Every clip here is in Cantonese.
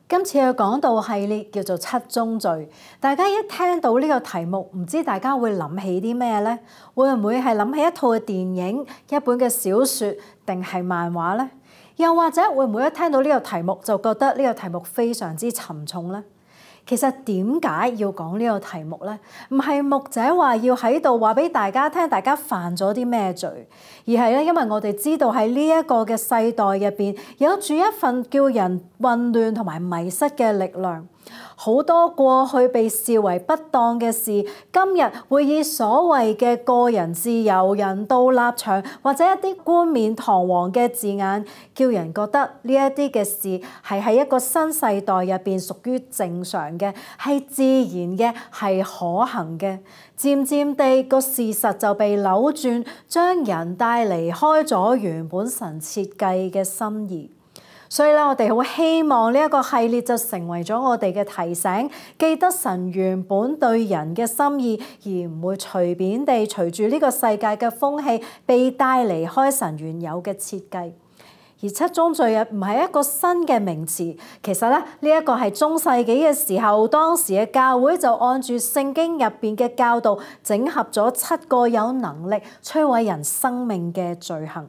今次嘅講道系列叫做七宗罪，大家一聽到呢個題目，唔知大家會諗起啲咩呢？會唔會係諗起一套嘅電影、一本嘅小説定係漫畫呢？又或者會唔會一聽到呢個題目就覺得呢個題目非常之沉重呢？其實點解要講呢個題目呢？唔係牧者話要喺度話俾大家聽，大家犯咗啲咩罪，而係咧，因為我哋知道喺呢一個嘅世代入邊，有住一份叫人混亂同埋迷失嘅力量。好多過去被視為不當嘅事，今日會以所謂嘅個人自由、人道立場或者一啲冠冕堂皇嘅字眼，叫人覺得呢一啲嘅事係喺一個新世代入邊屬於正常嘅，係自然嘅，係可行嘅。漸漸地個事實就被扭轉，將人帶離開咗原本神設計嘅心意。所以咧，我哋好希望呢一個系列就成為咗我哋嘅提醒，記得神原本對人嘅心意，而唔會隨便地隨住呢個世界嘅風氣被帶離開神原有嘅設計。而七宗罪唔係一個新嘅名詞，其實咧，呢一個係中世紀嘅時候，當時嘅教會就按住聖經入邊嘅教導，整合咗7個有能力摧毀人生命嘅罪行。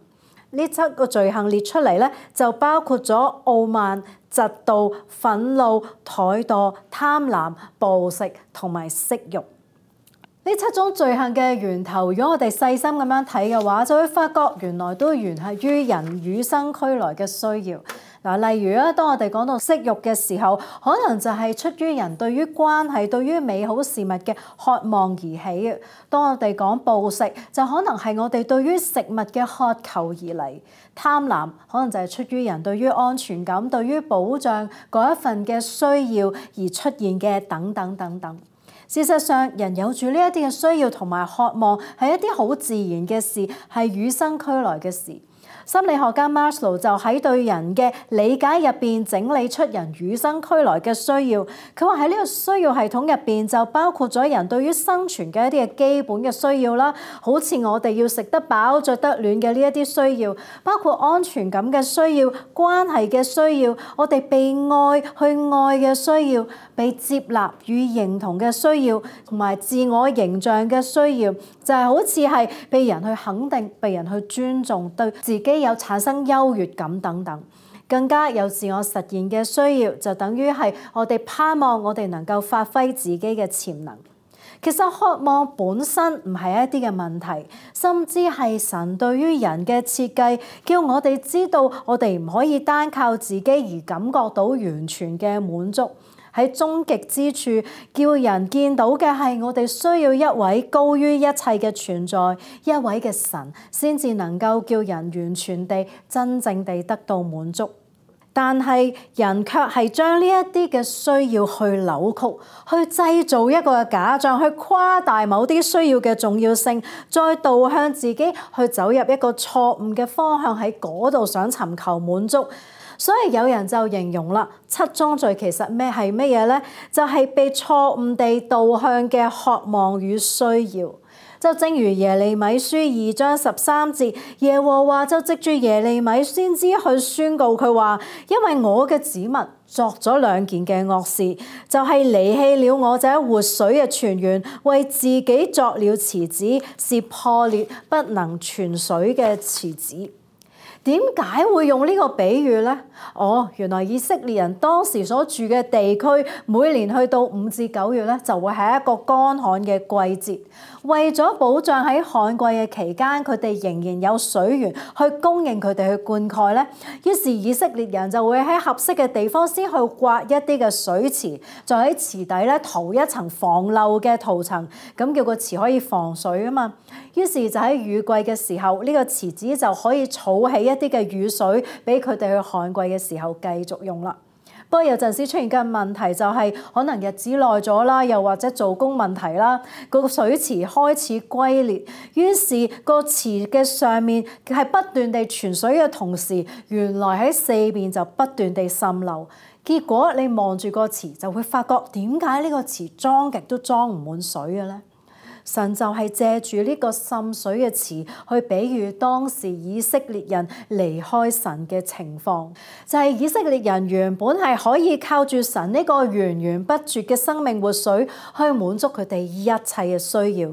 呢7個罪行列出嚟咧，就包括咗傲慢、嫉妒、憤怒、怠惰、貪婪、暴食同埋色欲。呢7種罪行嘅源頭，如果我哋細心咁樣睇嘅話，就會發覺原來都源係於人與生俱來嘅需要。例如啊，當我哋講到色欲嘅時候，可能就係出於人對於關係、對於美好事物嘅渴望而起嘅。當我哋講暴食，就可能係我哋對於食物嘅渴求而嚟。貪婪可能就係出於人對於安全感、對於保障嗰一份嘅需要而出現嘅等等等等。事實上，人有住呢一啲嘅需要同埋渴望，係一啲好自然嘅事，係與生俱來嘅事。心理學家 Maslow 就喺對人嘅理解入邊整理出人與生俱來嘅需要。佢話喺呢個需要系統入邊就包括咗人對於生存嘅一啲嘅基本嘅需要啦，好似我哋要食得飽、着得暖嘅呢一啲需要，包括安全感嘅需要、關係嘅需要、我哋被愛去愛嘅需要、被接納與認同嘅需要，同埋自我形象嘅需要，就係好似係被人去肯定、被人去尊重、對自己有產生優越感等等，更加有自我實現嘅需要，就等於係我哋盼望我哋能夠發揮自己嘅潛能。其實渴望本身唔係一啲嘅問題，甚至係神對於人嘅設計，叫我哋知道我哋唔可以單靠自己而感覺到完全嘅滿足。喺終極之處，叫人見到嘅係我哋需要一位高於一切嘅存在，一位嘅神，先至能夠叫人完全地、真正地得到滿足。但係人卻係將呢一啲嘅需要去扭曲，去製造一個假象，去誇大某啲需要嘅重要性，再導向自己去走入一個錯誤嘅方向，喺嗰度想尋求滿足。所以有人就形容啦，7宗罪其實係乜嘢呢？就係被錯誤地導向嘅渴望與需要。就正如耶利米書2章13節，耶和華就藉住耶利米先知去宣告佢話：因為我嘅子民作咗2件嘅惡事，就係離棄了我這活水嘅泉源，為自己作了池子，是破裂不能存水嘅池子。點解會用呢個比喻呢？原來以色列人當時所住嘅地區，每年去到5至9月咧，就會係一個乾旱嘅季節。為咗保障喺旱季嘅期間，佢哋仍然有水源去供應佢哋去灌溉咧。於是以色列人就會喺合適嘅地方先去挖一啲嘅水池，再喺池底咧塗一層防漏嘅塗層，咁叫個池可以防水啊嘛。於是就喺雨季嘅時候，呢個池子就可以儲起一啲嘅雨水，俾佢哋去旱季嘅時候繼續用啦。不過有陣時出現嘅問題就係可能日子耐咗啦，又或者做工問題啦，個水池開始龜裂，於是個池嘅上面係不斷地存水嘅同時，原來喺四邊就不斷地滲漏。結果你望住個池就會發覺，點解呢個池裝極都裝唔滿水嘅咧？神就係借住呢個滲水嘅詞去比喻當時以色列人離開神嘅情況，就係以色列人原本係可以靠住神呢個源源不絕嘅生命活水去滿足佢哋一切嘅需要。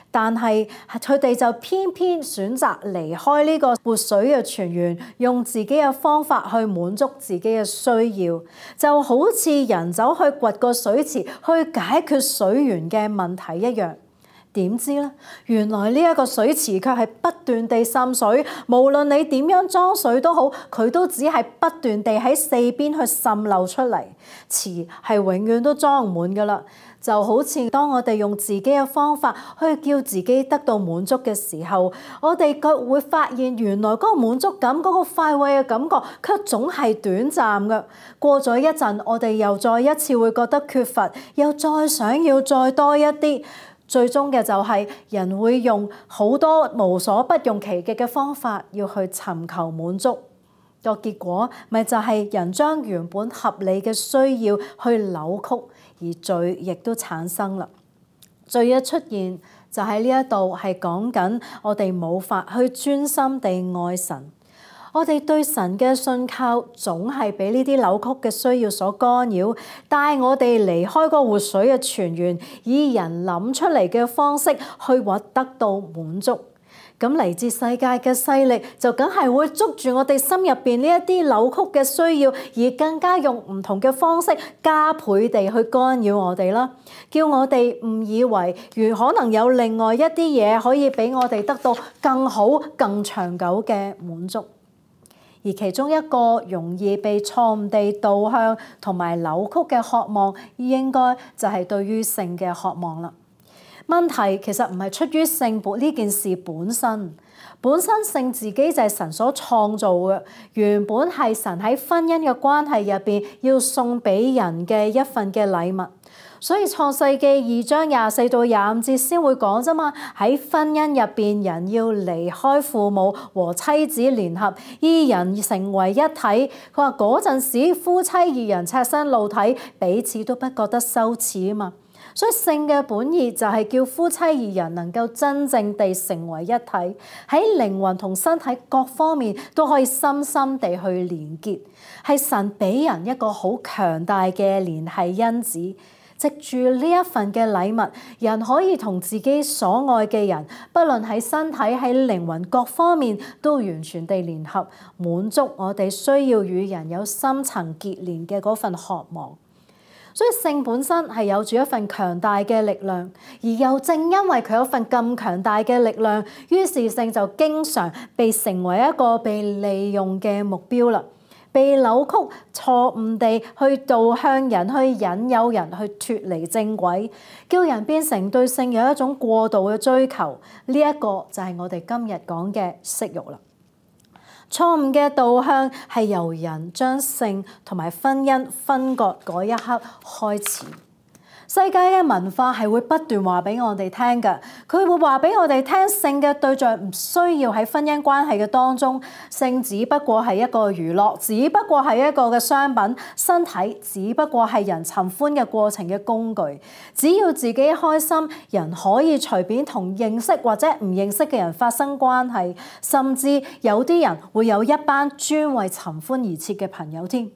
但係佢哋就偏偏選擇離開呢個活水嘅泉源，用自己嘅方法去滿足自己嘅需要，就好似人走去掘個水池去解決水源嘅問題一樣。點知咧，原來呢一個水池卻係不斷地滲水，無論你點樣裝水都好，佢都只係不斷地喺四邊去滲漏出嚟，池係永遠都裝唔滿噶啦。就好似當我哋用自己嘅方法去叫自己得到滿足嘅時候，我哋卻會發現原來嗰個滿足感、嗰個快慰嘅感覺卻總係短暫嘅。過咗一陣，我哋又再一次會覺得缺乏，又再想要再多一啲。最終嘅就係人會用好多無所不用其極嘅方法要去尋求滿足，個結果咪就係人將原本合理嘅需要去扭曲，而罪亦都產生啦。罪嘅出現就喺呢一度係講緊我哋冇法去專心地愛神。我哋對神嘅信靠總係俾呢啲扭曲嘅需要所干擾，帶我哋離開個活水嘅泉源，以人諗出嚟嘅方式去獲得到滿足。咁嚟自世界嘅勢力就梗係會捉住我哋心入邊呢一啲扭曲嘅需要，而更加用唔同嘅方式加倍地去干擾我哋啦，叫我哋誤以為如可能有另外一啲嘢可以俾我哋得到更好、更長久嘅滿足。而其中一個容易被錯誤地導向同埋扭曲嘅渴望，應該就係對於性嘅渴望啦。問題其實唔係出於性呢件事本身性自己就係神所創造嘅，原本係神喺婚姻嘅關係入邊要送俾人嘅一份嘅禮物。所以創世記2章24到25節先會講啫嘛，喺婚姻入邊，人要離開父母和妻子聯合，二人成為一體。佢話嗰陣時夫妻二人赤身露體，彼此都不覺得羞恥啊嘛。所以性嘅本意就係叫夫妻二人能夠真正地成為一體，喺靈魂同身體各方面都可以深深地去連結，係神俾人一個好強大嘅聯繫因子。藉住呢一份嘅禮物，人可以同自己所愛嘅人，不論喺身體喺靈魂各方面，都完全地聯合，滿足我哋需要與人有深層結連嘅嗰份渴望。所以性本身係有住一份強大嘅力量，而又正因為佢有份咁強大嘅力量，於是性就經常被成為一個被利用嘅目標啦。被扭曲、錯誤地去導向人，去引誘人去脫離正軌，叫人變成對性有一種過度嘅追求。呢一個就係我哋今日講嘅色慾啦。錯誤嘅導向係由人將性同埋婚姻分割嗰一刻開始。世界嘅文化係會不斷話俾我哋聽嘅，佢會話俾我哋聽，性嘅對象唔需要喺婚姻關係嘅當中，性只不過係一個娛樂，只不過係一個嘅商品，身體只不過係人尋歡嘅過程嘅工具。只要自己開心，人可以隨便同認識或者唔認識嘅人發生關係，甚至有啲人會有一班專為尋歡而設嘅朋友添。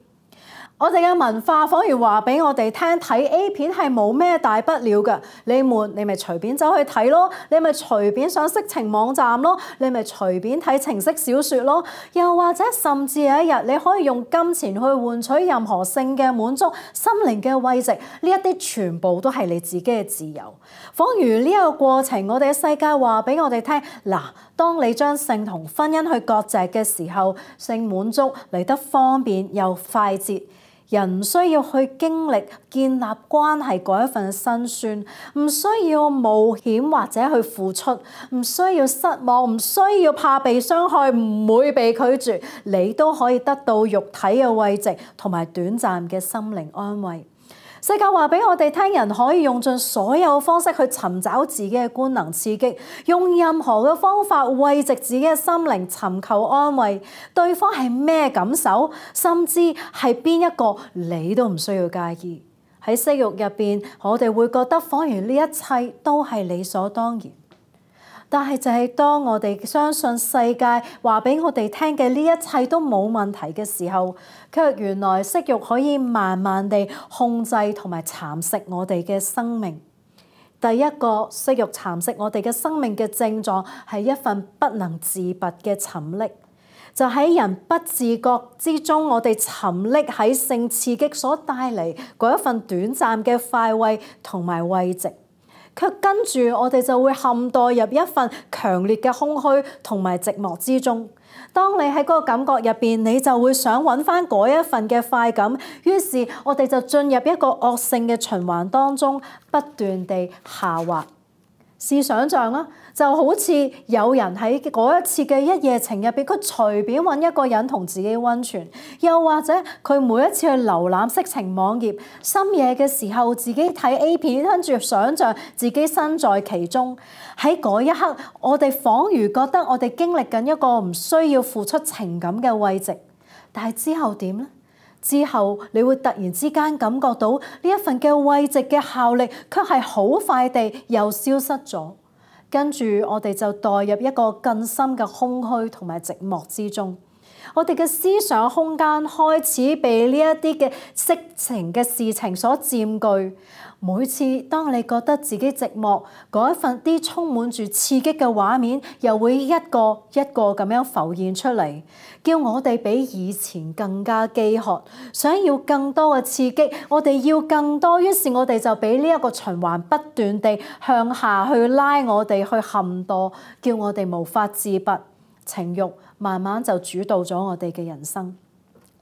我哋嘅文化反而話俾我哋聽，睇 A 片係冇咩大不了嘅，你悶你咪隨便走去睇咯，你咪隨便上色情網站咯，你咪隨便睇情色小說咯，又或者甚至有一日你可以用金錢去換取任何性嘅滿足、心靈嘅慰藉，呢一啲全部都係你自己嘅自由。仿如呢一個過程，我哋嘅世界話俾我哋聽，嗱，當你將性同婚姻去割席嘅時候，性滿足嚟得方便又快捷。人唔需要去經歷建立關係嗰一份辛酸，唔需要冒險或者去付出，唔需要失望，唔需要怕被傷害，唔會被拒絕，你都可以得到肉體嘅慰藉同埋短暫嘅心靈安慰。世界話俾我哋聽，人可以用盡所有方式去尋找自己嘅官能刺激，用任何嘅方法慰藉自己嘅心靈，尋求安慰。對方係咩感受，甚至係邊一個，你都唔需要介意。喺色欲入邊，我哋會覺得仿如呢一切都係理所當然。但係就係當我哋相信世界話俾我哋聽嘅呢一切都冇問題嘅時候，卻原來色欲可以慢慢地控制同埋蠶食我哋嘅生命。第一個色欲蠶食我哋嘅生命嘅症狀係一份不能自拔嘅沉溺，就喺人不自覺之中，我哋沉溺喺性刺激所帶嚟嗰一份短暫嘅快慰同埋慰藉。卻跟住我哋就會陷墮入一份強烈嘅空虛同埋寂寞之中。當你喺嗰個感覺入邊，你就會想揾翻嗰一份嘅快感，於是我哋就進入一個惡性嘅循環當中，不斷地下滑。試想像啦，就好似有人喺嗰一次嘅一夜情入邊，佢隨便揾一個人同自己溫泉，又或者佢每一次去瀏覽色情網頁，深夜嘅時候自己睇 A 片，跟住想像自己身在其中。喺嗰一刻，我哋彷如覺得我哋經歷緊一個唔需要付出情感嘅慰藉，但係之後點呢？之後你會突然之間感覺到呢一份嘅慰藉嘅效力，卻係好快地又消失咗。跟住我哋就墮入一個更深嘅空虛同埋寂寞之中。我哋嘅思想空間開始被呢一啲嘅色情嘅事情所佔據。每次當你覺得自己寂寞，嗰一份啲充滿住刺激嘅畫面，又會一個一個咁樣浮現出嚟，叫我哋比以前更加飢渴，想要更多嘅刺激，我哋要更多，於是我哋就俾呢一個循環不斷地向下去拉我哋去陷墮，叫我哋無法自拔，情慾慢慢就主導咗我哋嘅人生。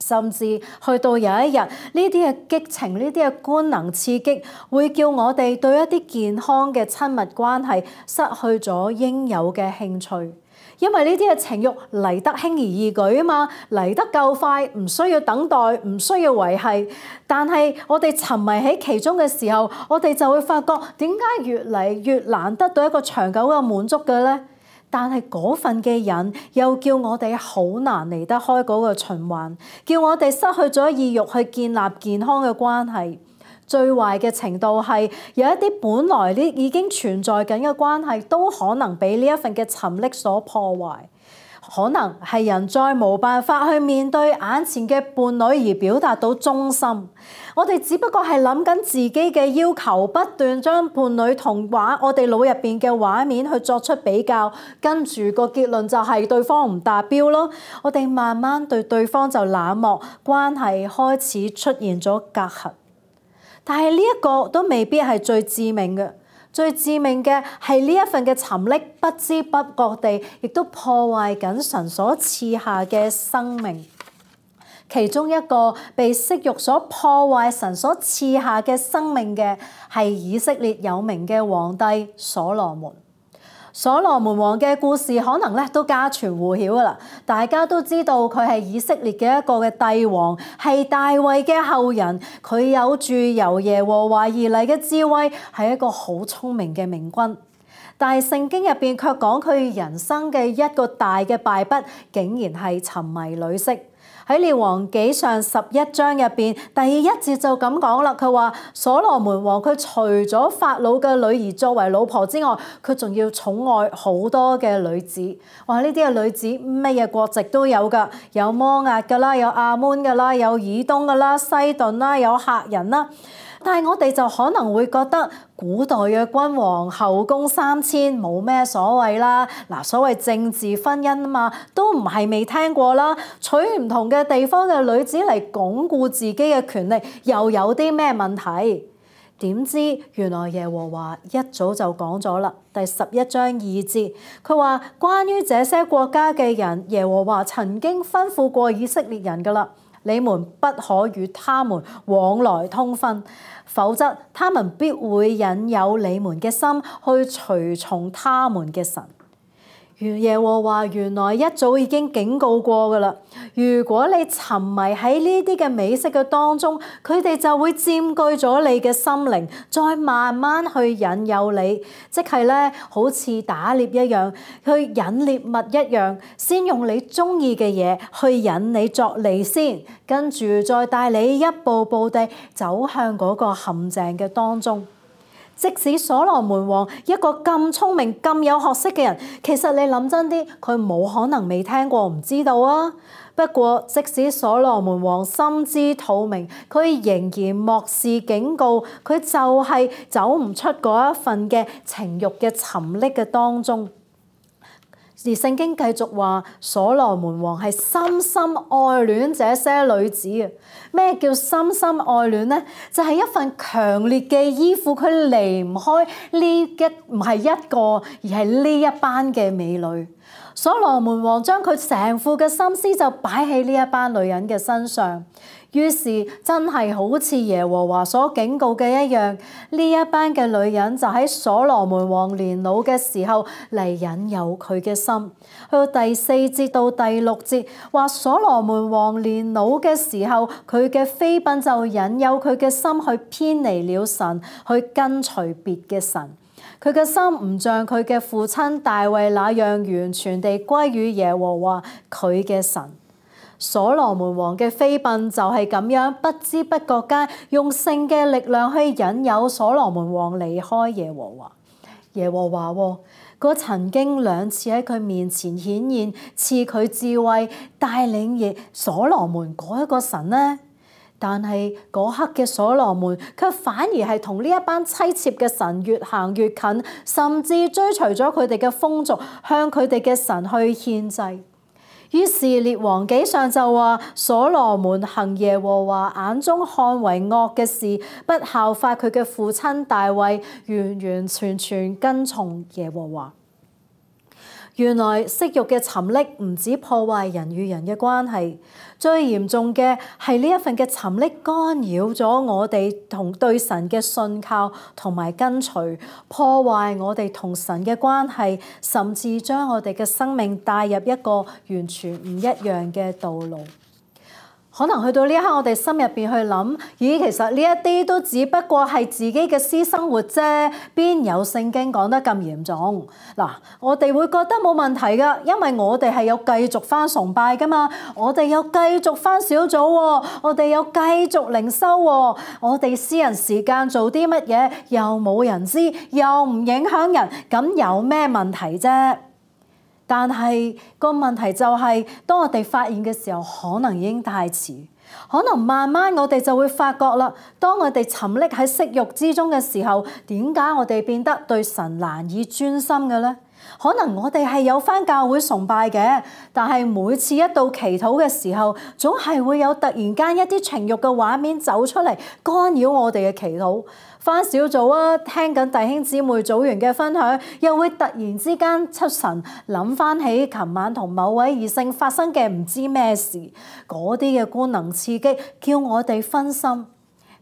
甚至去到有一日，呢啲嘅激情、呢啲嘅官能刺激，會叫我哋對一啲健康嘅親密關係失去咗應有嘅興趣，因為呢啲嘅情慾嚟得輕而易舉啊嘛，嚟得夠快，唔需要等待，唔需要維繫。但係我哋沉迷喺其中嘅時候，我哋就會發覺點解越嚟越難得到一個長久嘅滿足嘅咧？但係嗰份嘅癮又叫我哋好難離得開嗰個循環，叫我哋失去咗意欲去建立健康嘅關係。最壞嘅程度係有一啲本來呢已經存在緊嘅關係，都可能俾呢一份嘅沉溺所破壞。可能係人再冇辦法去面對眼前嘅伴侶而表達到忠心，我哋只不過係諗緊自己嘅要求，不斷將伴侶同我哋腦入邊嘅畫面去作出比較，跟住個結論就係對方唔達標咯。我哋慢慢對對方就冷漠，關係開始出現咗隔閡。但係呢一個都未必係最致命嘅。最致命嘅係呢一份嘅沉溺，不知不覺地亦都破壞緊神所賜下嘅生命。其中一個被色慾所破壞神所賜下嘅生命嘅，係以色列有名嘅皇帝所羅門。所羅門王嘅故事可能都家傳戶曉噶啦，大家都知道佢係以色列嘅一個嘅帝王，係大衛嘅後人，佢有住由耶和華而嚟嘅智慧，係一個好聰明嘅明君。但係聖經入邊卻講佢人生嘅一個大嘅敗筆，竟然係沉迷女色。喺列王紀上11章入邊，第1節就咁講啦。佢話所羅門王佢除咗法老嘅女兒作為老婆之外，佢仲要寵愛好多嘅女子。哇！呢啲嘅女子乜嘢國籍都有㗎，有摩押㗎啦，有亞捫㗎啦，有以東㗎啦，西頓啦，有赫人啦。但係我哋就可能會覺得古代嘅君王後宮3000冇咩所謂啦。嗱，所謂政治婚姻啊嘛，都唔係未聽過啦。娶唔同嘅地方嘅女子嚟鞏固自己嘅權力，又有啲咩問題？點知原來耶和華一早就講咗啦。第11章2節，佢話關於這些國家嘅人，耶和華曾經吩咐過以色列人㗎啦。你們不可與他們往來通婚，否則他們必會引誘你們嘅心去隨從他們嘅神。耶和華原來一早已經警告過㗎啦。如果你沉迷喺呢啲嘅美色嘅當中，佢哋就會佔據咗你嘅心靈，再慢慢去引誘你，即係咧好似打獵一樣，去引獵物一樣，先用你中意嘅嘢去引你作利先，跟住再帶你一步步地走向嗰個陷阱嘅當中。即使所羅門王一個咁聰明、咁有學識嘅人，其實你諗真啲，佢冇可能未聽過、唔知道啊。不過，即使所羅門王心知肚明，佢仍然漠視警告，佢就係走唔出嗰一份嘅情慾嘅沉溺嘅當中。而聖經繼續話，所羅門王係深深愛戀這些女子啊！咩叫深深愛戀呢？就係一份強烈嘅依附，佢離唔開唔係一個，而係呢一班嘅美女。所羅門王將佢成副嘅心思就擺喺呢一班女人嘅身上。於是真係好似耶和華所警告嘅一樣，呢一班嘅女人就喺所羅門王年老嘅時候嚟引誘佢嘅心。去到第4節到第6節話，所羅門王年老嘅時候，佢嘅妃嬪就引誘佢嘅心去偏離了神，去跟隨別嘅神。佢嘅心唔像佢嘅父親大衛那樣完全地歸於耶和華佢嘅神。所羅門王嘅妃嬪就係咁樣不知不覺間用性嘅力量去引誘所羅門王離開耶和華。耶和華嗰曾經2次喺佢面前顯現，賜佢智慧，帶領所羅門嗰一個神呢？但係嗰刻嘅所羅門卻反而係同呢一班妻妾嘅神越行越近，甚至追隨咗佢哋嘅風俗，向佢哋嘅神去獻祭。於是列王紀上就話，所羅門行耶和華眼中看為惡嘅事，不效法佢嘅父親大衛，完完全全跟從耶和華。原來色慾嘅沉溺唔止破壞人與人嘅關係，最嚴重嘅係呢一份嘅沉溺干擾咗我哋同對神嘅信靠同埋跟隨，破壞我哋同神嘅關係，甚至將我哋嘅生命帶入一個完全唔一樣嘅道路。可能去到呢一刻，我哋心入邊去諗，咦，其實呢一啲都只不過係自己嘅私生活啫，邊有聖經講得咁嚴重？嗱，我哋會覺得冇問題噶，因為我哋係有繼續翻崇拜噶嘛，我哋有繼續翻小組喎，我哋有繼續靈修喎，我哋私人時間做啲乜嘢又冇人知，又唔影響人，咁有咩問題啫？但係個問題就係，當我哋發現嘅時候，可能已經太遲。可能慢慢我哋就會發覺啦，當我哋沉溺喺色慾之中嘅時候，點解我哋變得對神難以專心嘅呢？可能我哋係有返教會崇拜嘅，但係每次一到祈禱嘅時候，總係會有突然間一啲情慾嘅畫面走出嚟，干擾我哋嘅祈禱。返小組啊，聽緊弟兄姊妹組員嘅分享，又會突然之間出神，諗返起琴晚同某位異性發生嘅唔知咩事，嗰啲嘅官能刺激叫我哋分心。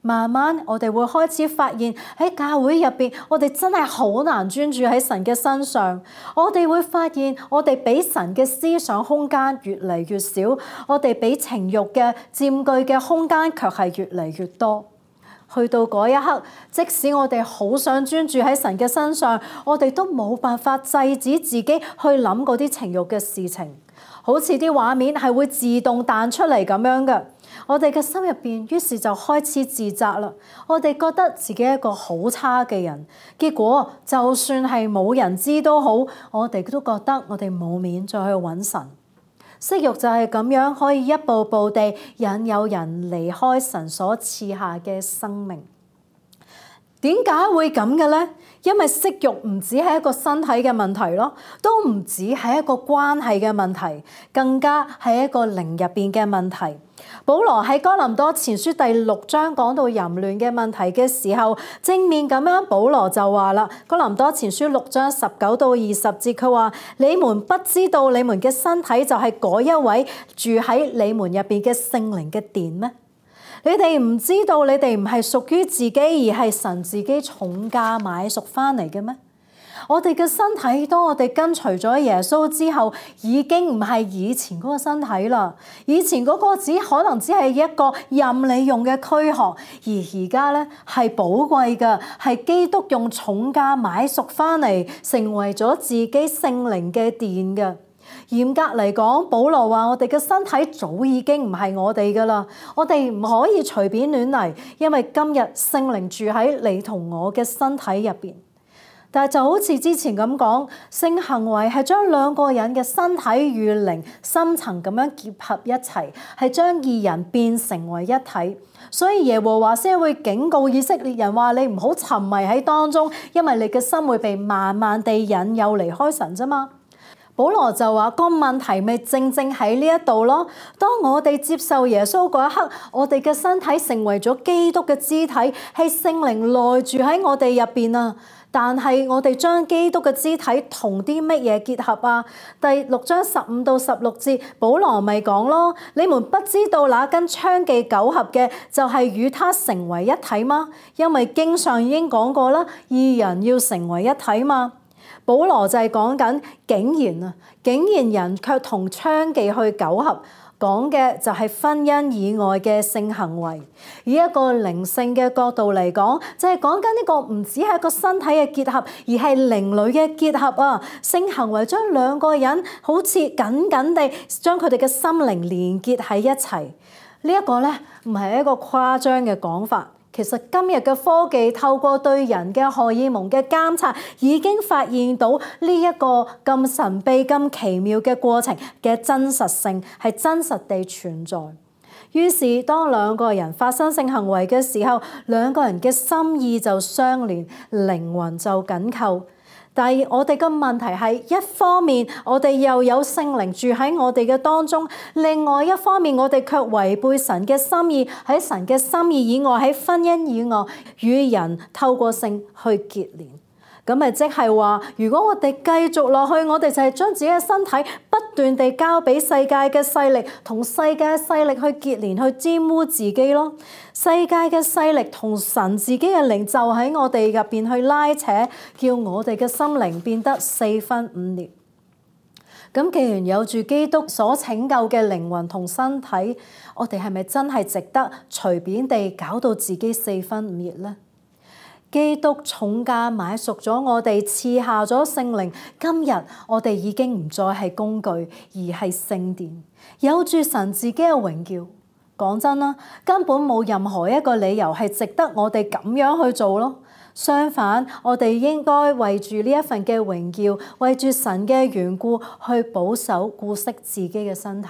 慢慢我哋會開始發現喺教會入邊，我哋真係好難專注喺神嘅身上。我哋會發現我哋俾神嘅思想空間越嚟越少，我哋俾情慾嘅佔據嘅空間卻係越嚟越多。去到嗰一刻，即使我哋好想專注喺神嘅身上，我哋都冇辦法制止自己去諗嗰啲情慾嘅事情，好似啲畫面係會自動彈出嚟咁樣嘅。我哋嘅心入邊，於是就開始自責啦。我哋覺得自己係一個好差嘅人，結果就算係冇人知都好，我哋都覺得我哋冇面再去揾神。色慾就係咁樣，可以一步步地引誘人離開神所賜下嘅生命。點解會咁嘅呢？因為色慾唔止係一個身體嘅問題咯，都唔止係一個關係嘅問題，更加係一個靈入邊嘅問題。保羅喺哥林多前書第6章講到淫亂嘅問題嘅時候，正面咁樣保羅就話啦，哥林多前書6章19到20節，佢話：你們不知道你們嘅身體就係嗰一位住喺你們入邊嘅聖靈嘅殿咩？你哋唔知道你哋唔係屬於自己，而係神自己重價買贖翻嚟嘅咩？我哋嘅身體，當我哋跟隨咗耶穌之後，已經唔係以前嗰個身體啦。以前嗰個可能只係一個任你用嘅軀殼，而家咧係寶貴嘅，係基督用重價買贖翻嚟，成為咗自己聖靈嘅殿嘅。嚴格嚟講，保羅話我哋嘅身體早已經唔係我哋噶啦，我哋唔可以隨便亂嚟，因為今日聖靈住喺你同我嘅身體入邊。但係就好似之前咁講，性行為係將兩個人嘅身體與靈深層咁樣結合一齊，係將二人變成為一體。所以耶和華先會警告以色列人話：你唔好沉迷喺當中，因為你嘅心會被慢慢地引誘離開神啫嘛。保羅就話個問題咪正喺呢一度咯。當我哋接受耶穌嗰一刻，我哋嘅身體成為咗基督嘅肢體，係聖靈內住喺我哋入邊啊。但係我哋將基督嘅肢體同啲乜嘢結合啊？第6章15到16節，保羅咪講咯：你們不知道那跟娼妓苟合嘅，就係與他成為一體嗎？因為經上已經講過啦，二人要成為一體嘛。保羅就係講緊竟然人卻同娼妓去苟合，講嘅就係婚姻以外嘅性行為。以一個靈性嘅角度嚟講，就係講緊呢個唔只係一個身體嘅結合，而係靈裡嘅結合啊！性行為將兩個人好似緊緊地將佢哋嘅心靈連結喺一齊。呢一個咧唔係一個誇張嘅講法。其實今日嘅科技透過對人嘅荷爾蒙嘅監察，已經發現到呢一個咁神秘、咁奇妙嘅過程嘅真實性係真實地存在。於是當兩個人發生性行為嘅時候，兩個人嘅心意就相連，靈魂就緊扣。但係我哋嘅問題係，一方面我哋又有聖靈住喺我哋嘅當中，另外一方面我哋卻違背神嘅心意，喺神嘅心意以外，喺婚姻以外與人透過性去結連。咁咪即係話，如果我哋繼續落去，我哋就係將自己嘅身體不斷地交俾世界嘅勢力，同世界嘅勢力去結連，去沾污自己咯。世界嘅勢力同神自己嘅靈就喺我哋入邊去拉扯，叫我哋嘅心靈變得四分五裂。咁既然有住基督所拯救嘅靈魂同身體，我哋係咪真係值得隨便地搞到自己四分五裂呢？基督重價買贖咗我哋，賜下咗聖靈。今日我哋已經唔再係工具，而係聖殿，有住神自己嘅榮耀。講真啦，根本冇任何一個理由係值得我哋咁樣去做咯。相反，我哋應該為住呢一份嘅榮耀，為住神嘅緣故，去保守顧惜自己嘅身體。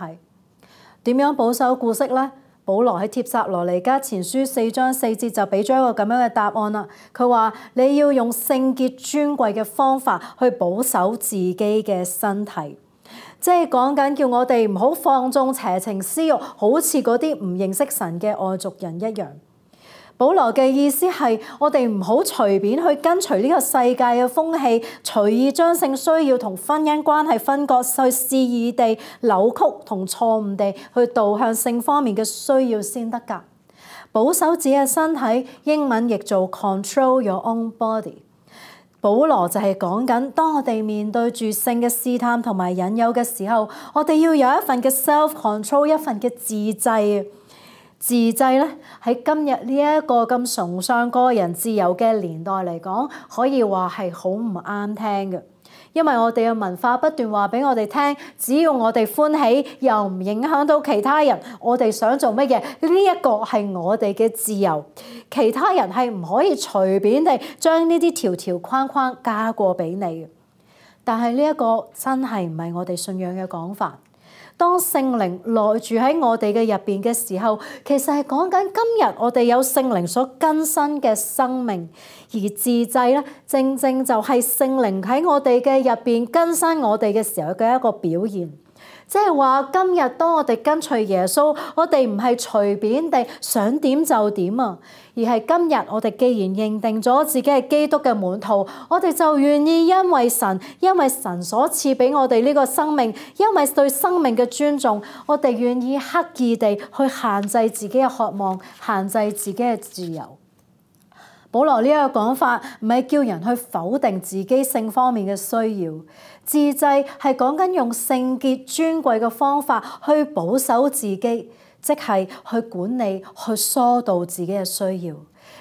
點樣保守顧惜呢？保羅喺帖撒羅尼迦前書4章4節就俾咗一個咁樣嘅答案啦。佢話你要用聖潔尊貴嘅方法去保守自己嘅身體，即係講緊叫我哋唔好放縱邪情私慾，好似嗰啲唔認識神嘅外族人一樣。保羅嘅意思係我哋唔好隨便去跟隨呢個世界嘅風氣，隨意將性需要同婚姻關係分割，去肆意地扭曲同錯誤地去導向性方面嘅需要先得㗎。保守自己嘅身體，英文譯做 control your own body。保羅就係講緊，當我哋面對住性嘅試探同埋引誘嘅時候，我哋要有一份嘅 self control， 一份嘅自制。自制咧，喺今日呢一個咁崇尚個人自由嘅年代嚟講，可以話係好唔啱聽嘅。因為我哋嘅文化不斷話俾我哋聽，只要我哋歡喜，又唔影響到其他人，我哋想做乜嘢，呢一個係我哋嘅自由。其他人係唔可以隨便地將呢啲條條框框加過俾你嘅。但係呢一個真係唔係我哋信仰嘅講法。當聖靈內住喺我哋嘅入邊嘅時候，其實係講緊今日我哋有聖靈所更新嘅生命，而自制咧，正正就係聖靈喺我哋嘅入邊更新我哋嘅時候嘅一個表現。即係話今日當我哋跟隨耶穌，我哋唔係隨便地想點就點啊，而係今日我哋既然認定咗自己係基督嘅門徒，我哋就願意因為神所賜俾我哋呢個生命，因為對生命嘅尊重，我哋願意刻意地去限制自己嘅渴望，限制自己嘅自由。保羅呢一個講法唔係叫人去否定自己性方面嘅需要，自制係講緊用聖潔尊貴嘅方法去保守自己，即係去管理、去疏導自己嘅需要。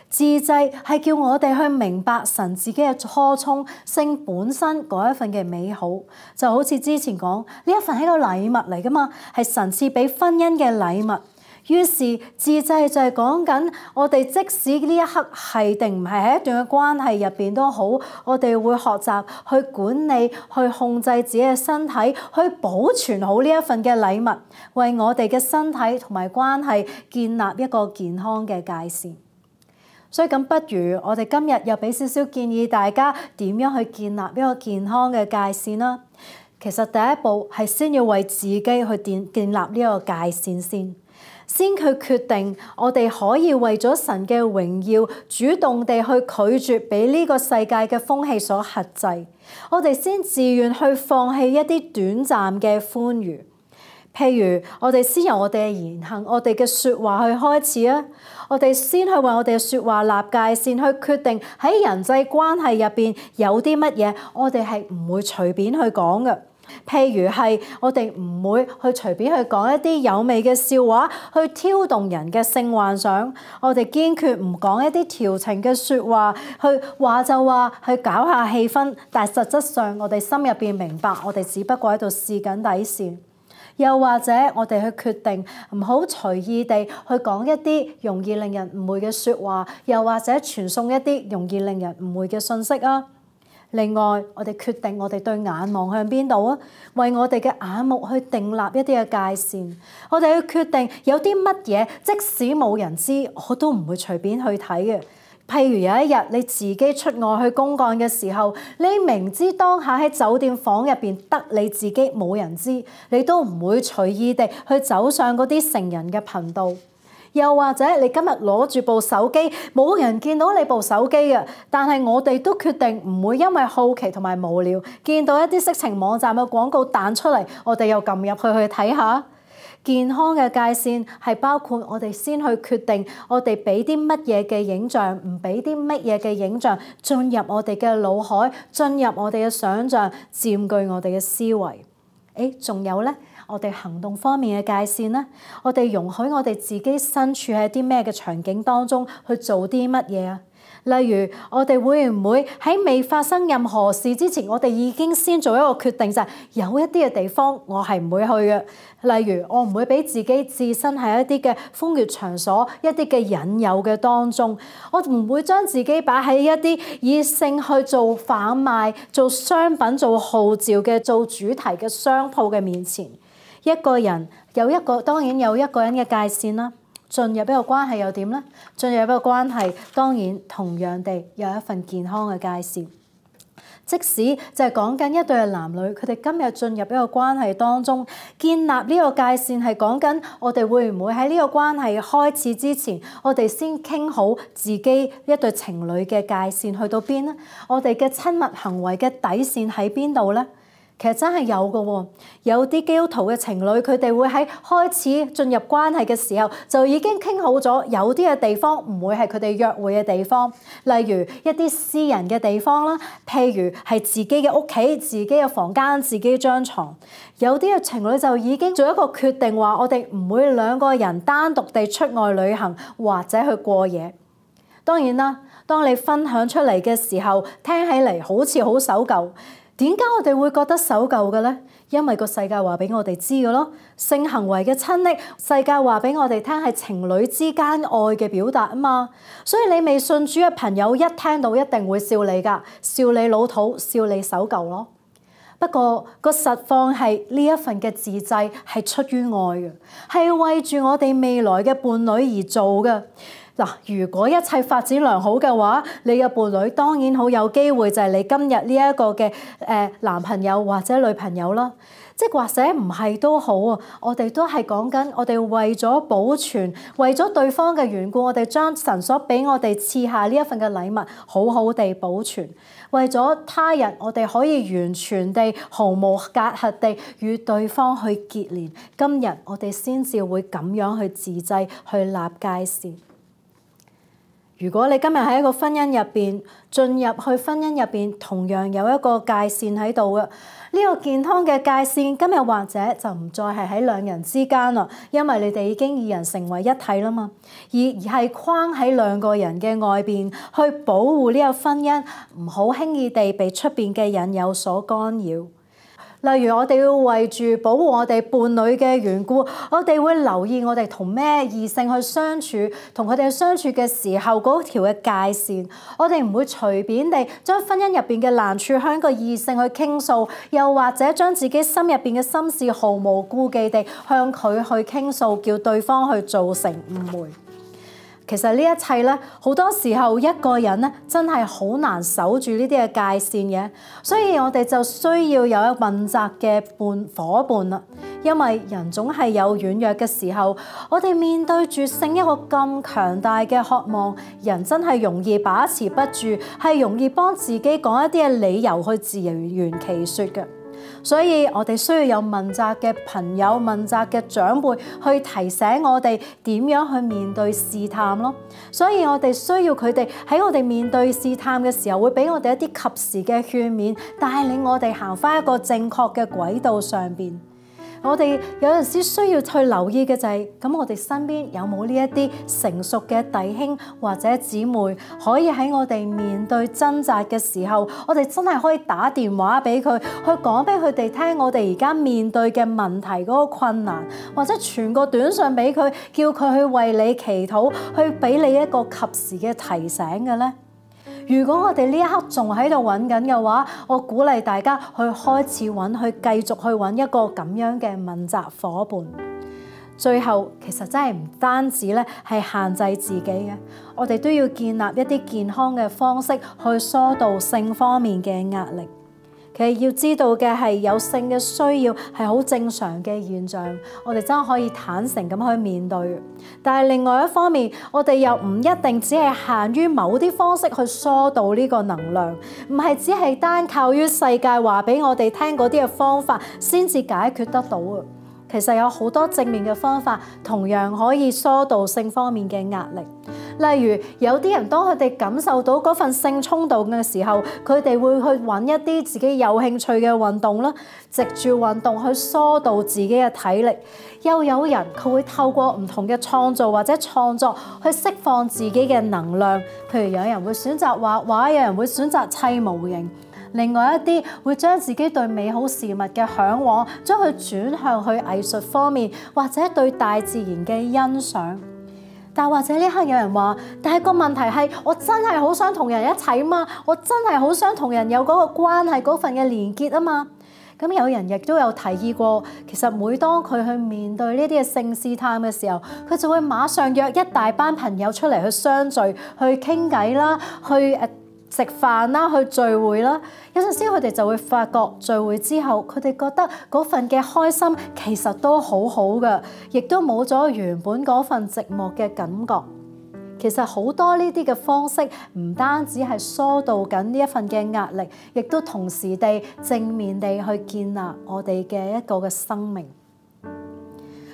自制係叫我哋去明白神自己嘅初衷，性本身嗰一份嘅美好，就好似之前講呢一份係一個禮物嚟㗎嘛，係神賜俾婚姻嘅禮物。於是自制就係講緊我哋即使呢一刻係定唔係喺一段嘅關係入邊都好，我哋會學習去管理、去控制自己嘅身體，去保存好呢一份嘅禮物，為我哋嘅身體同埋關係建立一個健康嘅界線。所以咁，不如我哋今日又俾少少建議大家點樣去建立一個健康嘅界線啦。其實第一步係先要為自己去建立呢個界線先去決定我哋可以為咗神嘅榮耀，主動地去拒絕俾呢個世界嘅風氣所轄制。我哋先自願去放棄一啲短暫嘅歡愉。譬如我哋先由我哋嘅言行、我哋嘅説話去開始啊！我哋先去為我哋嘅説話立界線，去決定喺人際關係入邊有啲乜嘢，我哋係唔會隨便去講嘅。譬如係我哋唔會去隨便去講一啲有味嘅笑話，去挑動人嘅性幻想。我哋堅決唔講一啲調情嘅説話，去話就話，去搞下氣氛。但係實質上，我哋心入邊明白，我哋只不過喺度試緊底線。又或者我哋去決定唔好隨意地去講一啲容易令人誤會嘅説話，又或者傳送一啲容易令人誤會嘅信息啊。另外，我哋決定我哋對眼望向邊度啊，為我哋嘅眼目去訂立一啲嘅界線。我哋去決定有啲乜嘢，即使冇人知，我都唔會隨便去睇嘅。譬如有一日你自己出外去公幹嘅時候，你明知當下喺酒店房入邊得你自己冇人知，你都唔會隨意地去走上嗰啲成人嘅頻道。又或者你今日攞住部手機，冇人見到你部手機嘅，但係我哋都決定唔會因為好奇同埋無聊，見到一啲色情網站嘅廣告彈出嚟，我哋又撳入去睇下。健康嘅界線係包括我哋先去決定我哋俾啲乜嘢嘅影像，唔俾啲乜嘢嘅影像進入我哋嘅腦海，進入我哋嘅想像，佔據我哋嘅思維。仲有咧，我哋行動方面嘅界線咧，我哋容許我哋自己身處喺啲咩嘅場景當中去做啲乜嘢啊？例如，我哋會唔會喺未發生任何事之前，我哋已經先做一個決定，就係有一啲嘅地方我係唔會去嘅。例如，我唔會俾自己置身喺一啲嘅風月場所、一啲嘅引誘嘅當中。我唔會將自己擺喺一啲以性去做販賣、做商品、做號召嘅、做主題嘅商鋪嘅面前。一個人當然有一個人嘅界線啦。進入一個關係又點呢？進入一個關係，當然同樣地有一份健康嘅界線。即使就係講緊一對嘅男女，佢哋今日進入一個關係當中，建立呢個界線係講緊我哋會唔會喺呢個關係開始之前，我哋先傾好自己一對情侶嘅界線去到邊呢？我哋嘅親密行為嘅底線喺邊度呢？其實真係有嘅喎，有啲基督徒嘅情侶，佢哋會喺開始進入關係嘅時候，就已經傾好咗，有啲嘅地方唔會係佢哋約會嘅地方，例如一啲私人嘅地方啦，譬如係自己嘅屋企、自己嘅房間、自己張床。有啲嘅情侶就已經做一個決定，話我哋唔會兩個人單獨地出外旅行或者去過夜。當然啦，當你分享出嚟嘅時候，聽起嚟好似好守舊。點解我哋會覺得守舊嘅咧？因為個世界話俾我哋知嘅咯，性行為嘅親昵，世界話俾我哋聽係情侶之間愛嘅表達啊嘛。所以你未信主嘅朋友一聽到一定會笑你㗎，笑你老土，笑你守舊咯。不過個實況係呢一份嘅自制係出於愛嘅，係為住我哋未來嘅伴侶而做嘅。嗱，如果一切發展良好嘅話，你嘅伴侶當然好有機會就係你今日呢一個嘅男朋友或者女朋友啦。即或者唔係都好啊，我哋都係講緊我哋為咗保存，為咗對方嘅緣故，我哋將神所俾我哋賜下呢一份嘅禮物好好地保存。為咗他人，我哋可以完全地毫無隔閡地與對方去結連。今日我哋先至會咁樣去自制，去立界線。如果你今日喺一個婚姻入邊，進入去婚姻入邊，同樣有一個界線喺度嘅，呢個健康嘅界線，今日或者就唔再係喺兩人之間啦，因為你哋已經二人成為一體啦嘛，而係框喺兩個人嘅外邊，去保護呢個婚姻，唔好輕易地被出邊嘅引誘所干擾。例如我哋要為住保護我哋伴侶嘅緣故，我哋會留意我哋同咩異性去相處，同佢哋相處嘅時候嗰條嘅界線。我哋唔會隨便地將婚姻入邊嘅難處向一個異性去傾訴，又或者將自己心入邊嘅心事毫無顧忌地向佢去傾訴，叫對方去造成誤會。其實呢一切咧，好多時候一個人咧真係好難守住呢啲嘅界線嘅，所以我哋就需要有一個問責嘅夥伴啦。因為人總係有軟弱嘅時候，我哋面對住性一個咁強大嘅渴望，人真係容易把持不住，係容易幫自己講一啲嘅理由去自圓其說嘅。所以我哋需要有問責嘅朋友、問責嘅長輩去提醒我哋點樣去面對試探咯。所以我哋需要佢哋喺我哋面對試探嘅時候，會俾我哋一啲及時嘅勸勉，帶領我哋行返一個正確嘅軌道上邊。我哋有陣時需要去留意嘅就係，咁我哋身邊有冇呢一啲成熟嘅弟兄或者姊妹，可以喺我哋面對掙扎嘅時候，我哋真係可以打電話俾佢，去講俾佢哋聽我哋而家面對嘅問題嗰個困難，或者傳個短信俾佢，叫佢去為你祈禱，去俾你一個及時嘅提醒嘅咧。如果我哋呢一刻仲喺度揾緊嘅話，我鼓勵大家去開始揾，去繼續去揾一個咁樣嘅問責夥伴。最後其實真係唔單止咧係限制自己嘅，我哋都要建立一啲健康嘅方式去疏導性方面嘅壓力。其實要知道嘅係，有性嘅需要係好正常嘅現象，我哋真係可以坦誠咁去面對。但係另外一方面，我哋又唔一定只係限於某啲方式去疏導呢個能量，唔係只係單靠於世界話俾我哋聽嗰啲嘅方法先至解決得到啊！其實有好多正面嘅方法，同樣可以疏導性方面嘅壓力。例如有啲人當佢哋感受到嗰份性衝動嘅時候，佢哋會去揾一啲自己有興趣嘅運動啦，藉住運動去疏導自己嘅體力。又有人佢會透過唔同嘅創造或者創作去釋放自己嘅能量，譬如有人會選擇畫畫，有人會選擇砌模型。另外一啲會將自己對美好事物嘅嚮往，將佢轉向去藝術方面，或者對大自然嘅欣賞。但或者呢刻有人話，但係個問題係，我真係好想同人一齊啊嘛，我真係好想同人有嗰個關係嗰份嘅連結啊嘛。咁有人亦都有提議過，其實每當佢去面對呢啲嘅性試探嘅時候，佢就會馬上約一大班朋友出嚟去相聚，去傾偈啦，去食飯啦，去聚會啦。有陣時佢哋就會發覺聚會之後，佢哋覺得嗰份嘅開心其實都好好嘅，亦都冇咗原本嗰份寂寞嘅感覺。其實好多呢啲嘅方式唔單止係疏導緊呢一份嘅壓力，亦都同時地正面地去建立我哋嘅一個嘅生命。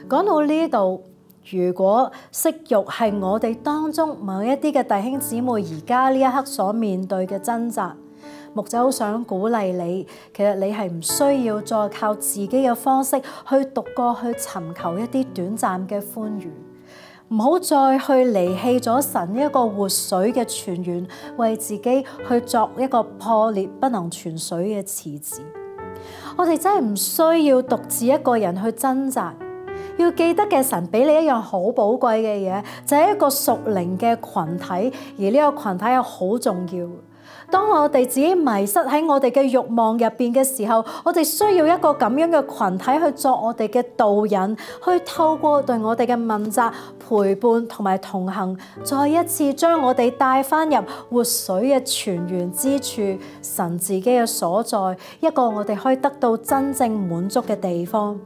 講到呢度，如果色欲係我哋當中某一啲嘅弟兄姊妹而家呢一刻所面對嘅掙扎，牧者好想鼓勵你，其實你係唔需要再靠自己嘅方式去獨個去尋求一啲短暫嘅歡愉，唔好再去離棄咗神一個活水嘅泉源，為自己去作一個破裂不能存水嘅池子。我哋真係唔需要獨自一個人去掙扎。要記得嘅，神俾你一樣好寶貴嘅嘢，就係一個屬靈嘅群體，而呢個群體係好重要。當我哋自己迷失喺我哋嘅慾望入邊嘅時候，我哋需要一個咁樣嘅群體去作我哋嘅導引，去透過對我哋嘅問責、陪伴同埋同行，再一次將我哋帶返入活水嘅泉源之處，神自己嘅所在，一個我哋可以得到真正滿足嘅地方。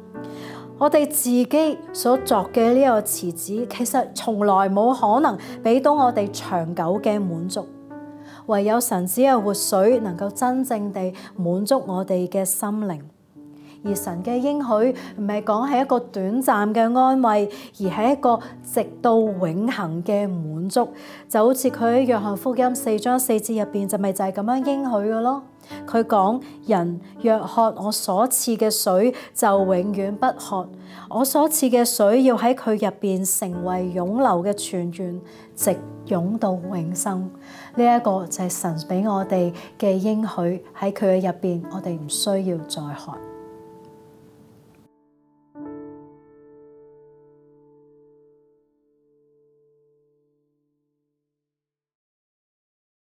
我哋自己所作嘅呢個池子，其實從來冇可能俾到我哋長久嘅滿足，唯有神子嘅活水能夠真正地滿足我哋嘅心靈。而神嘅應許唔係講係一個短暫嘅安慰，而係一個直到永恆嘅滿足。就好似佢喺約翰福音4章4節入邊就係咁樣應許嘅咯。佢講：人若喝我所賜嘅水，就永遠不渴。我所賜嘅水要喺佢入邊成為湧流嘅泉源，直湧到永生。呢一個就係神俾我哋嘅應許，喺佢嘅入邊，我哋唔需要再渴。